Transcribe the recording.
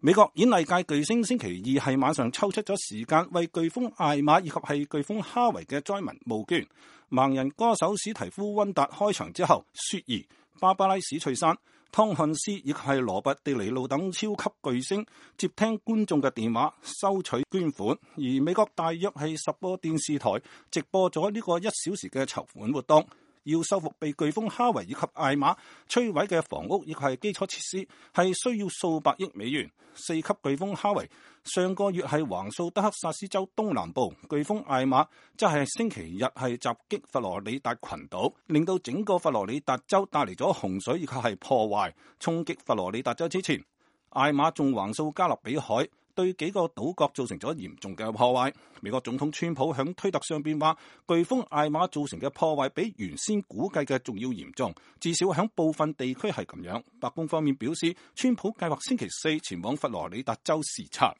美國演藝界巨星星期二係晚上抽出咗時間為颶風艾瑪以及係颶風哈維嘅災民募捐。盲人歌手史提夫溫達開場之後，雪兒、芭芭拉史翠珊、湯漢斯以及係羅拔迪尼路等超級巨星接聽觀眾嘅電話收取捐款。而美國大約係10個電視台直播咗呢個1小時嘅籌款活動。要修復被颶風哈維以及艾瑪摧毀嘅房屋以及係基礎設施，係需要數百億美元。4級颶風哈維上個月係橫掃德克薩斯州東南部，颶風艾瑪即係星期日係襲擊佛羅里達群島，令到整個佛羅里達州帶嚟咗洪水以及係破壞。衝擊佛羅里達州之前，艾瑪仲橫掃加勒比海，對幾個島國造成咗嚴重嘅破壞。美國總統川普響推特上邊話，颶風艾瑪造成嘅破壞比原先估計嘅仲要嚴重，至少響部分地區係咁樣。白宮方面表示，川普計劃星期4前往佛羅里達州視察。